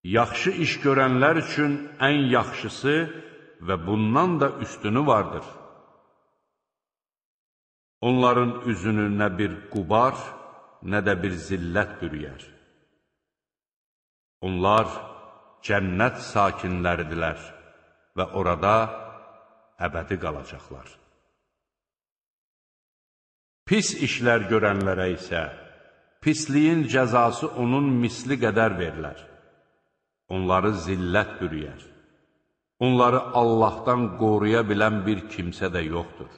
Yaxşı iş görənlər üçün ən yaxşısı və bundan da üstünü vardır. Onların üzünü nə bir qubar, nə də bir zillət bürüyər. Onlar cənnət sakinləridirlər və orada əbədi qalacaqlar. Pis işlər görənlərə isə pisliyin cəzası onun misli qədər verilər. Onları zillət bürüyər. Onları Allahdan qoruya bilən bir kimsə də yoxdur.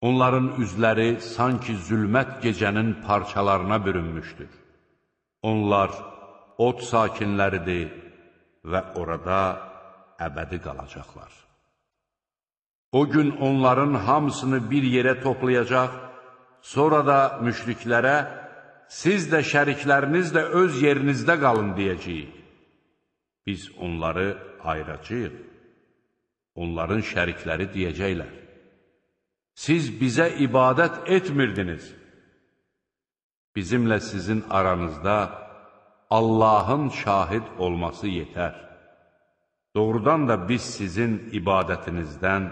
Onların üzləri sanki zülmət gecənin parçalarına bürünmüşdür. Onlar od sakinləridir və orada əbədi qalacaqlar. O gün onların hamısını bir yerə toplayacaq, sonra da müşriklərə, siz də şərikləriniz də öz yerinizdə qalın deyəcəyik. Biz onları ayıracağıq. Onların şərikləri deyəcəklər. Siz bizə ibadət etmirdiniz. Bizimlə sizin aranızda Allahın şahid olması yetər. Doğrudan da biz sizin ibadətinizdən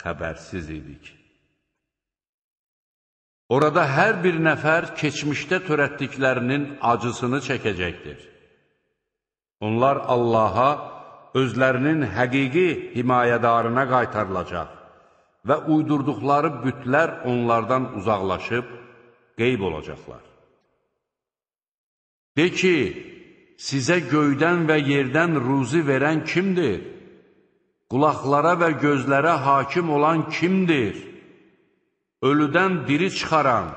xəbərsiz idik. Orada hər bir nəfər keçmişdə törətdiklərinin acısını çəkəcəkdir. Onlar Allaha özlərinin həqiqi himayədarına qaytarılacaq və uydurduqları bütlər onlardan uzaqlaşıb qeyb olacaqlar. De ki, sizə göydən və yerdən ruzi verən kimdir? Qulaqlara və gözlərə hakim olan kimdir? Ölüdən diri çıxaran,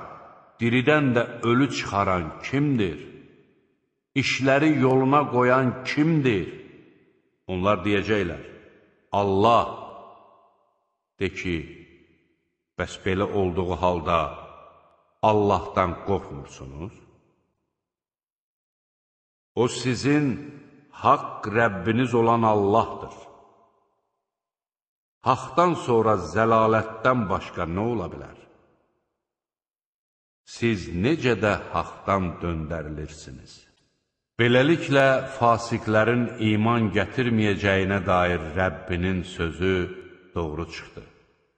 diridən də ölü çıxaran kimdir? İşləri yoluna qoyan kimdir? Onlar deyəcəklər, Allah. De ki, bəs belə olduğu halda Allahdan qorxmursunuz? O sizin haqq Rəbbiniz olan Allahdır. Haqdan sonra zəlalətdən başqa nə ola bilər? Siz necə də haqdan döndərilirsiniz? Beləliklə, fasiqlərin iman gətirməyəcəyinə dair Rəbbinin sözü doğru çıxdı.